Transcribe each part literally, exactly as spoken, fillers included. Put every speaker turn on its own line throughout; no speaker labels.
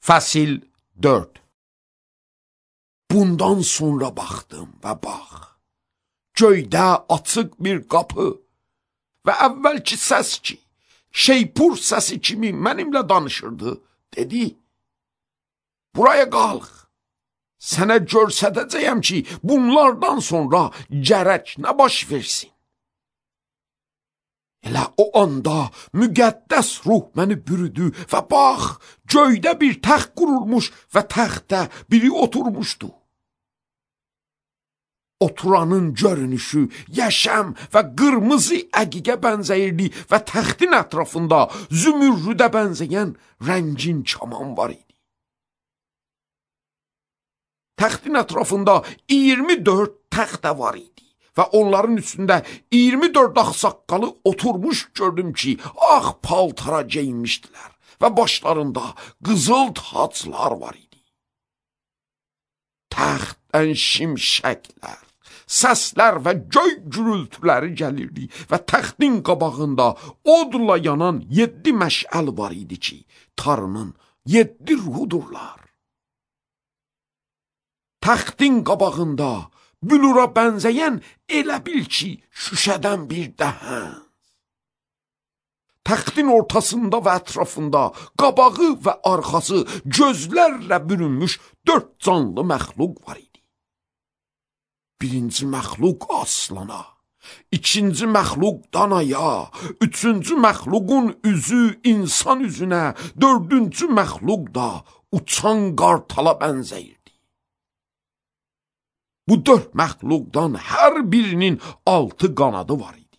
Fəsil dörd. Bundan sonra baxdım və bax, göydə açıq bir qapı və əvvəlki səs ki, şeypur səsi kimi mənimlə danışırdı, dedi, buraya qalx, sənə görsədəcəyəm ki, bunlardan sonra gərək nə baş versin. Elə o anda müqəddəs ruh məni bürüdü və bax, göydə bir təxt qurulmuş və təxtdə biri oturmuşdu. Oturanın görünüşü yaşam və qırmızı əqiqə bənzəyirdi və təxtin ətrafında zümürrüdə bənzəyən rəngin kaman var idi. Təxtin ətrafında iyirmi dörd təxtə var idi. Və onların üstündə iyirmi dörd ağsaqqalı oturmuş gördüm ki, ağ paltara geyinmişdilər və başlarında qızıl taclar var idi. Təxtdən şimşəklər, səslər və göy gürültüləri gəlirdi və təxtin qabağında odla yanan yeddi məşəl var idi ki, Tanrının yeddi ruhudurlar. Təxtin qabağında bülura bənzəyən elə bil ki, şüşədən bir dəhən. Təxtin ortasında və ətrafında qabağı və arxası gözlərlə bürünmüş dörd canlı məxluq var idi. Birinci məxluq aslana, ikinci məxluq danaya, üçüncü məxluqun üzü insan üzünə, dördüncü məxluq da uçan qartala bənzəyir. Bu dörd məxluqdan hər birinin altı qanadı var idi.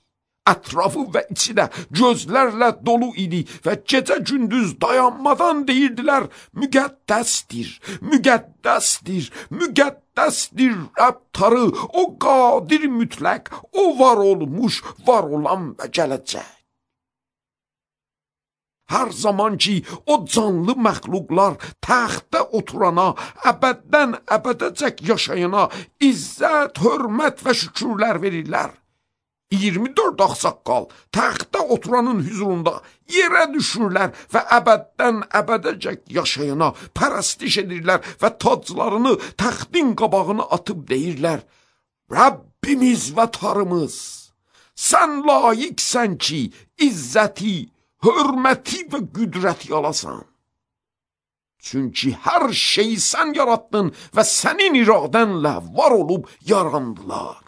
Ətrafı və içi də gözlərlə dolu idi və gecə-gündüz dayanmadan deyirdilər, müqəddəsdir, müqəddəsdir, müqəddəsdir Rəbb Tanrı, o qadir mütləq, o var olmuş, var olan və gələcək. Hər zaman ki, o canlı məxluqlar təxtdə oturana, əbəddən əbədəcək yaşayana izzət, hörmət və şükürlər verirlər. iyirmi dörd ağsaqqal təxtdə oturanın hüzurunda yerə düşürlər və əbəddən əbədəcək yaşayana pərəstiş edirlər və taclarını təxtin qabağına atıb deyirlər, Rəbbimiz və Tanrımız, sən layiqsən ki, izzəti, hörməti və qüdrəti alasan. Çünki hər şeyi sən yaratdın və sənin iradənlə var olub yarandılar.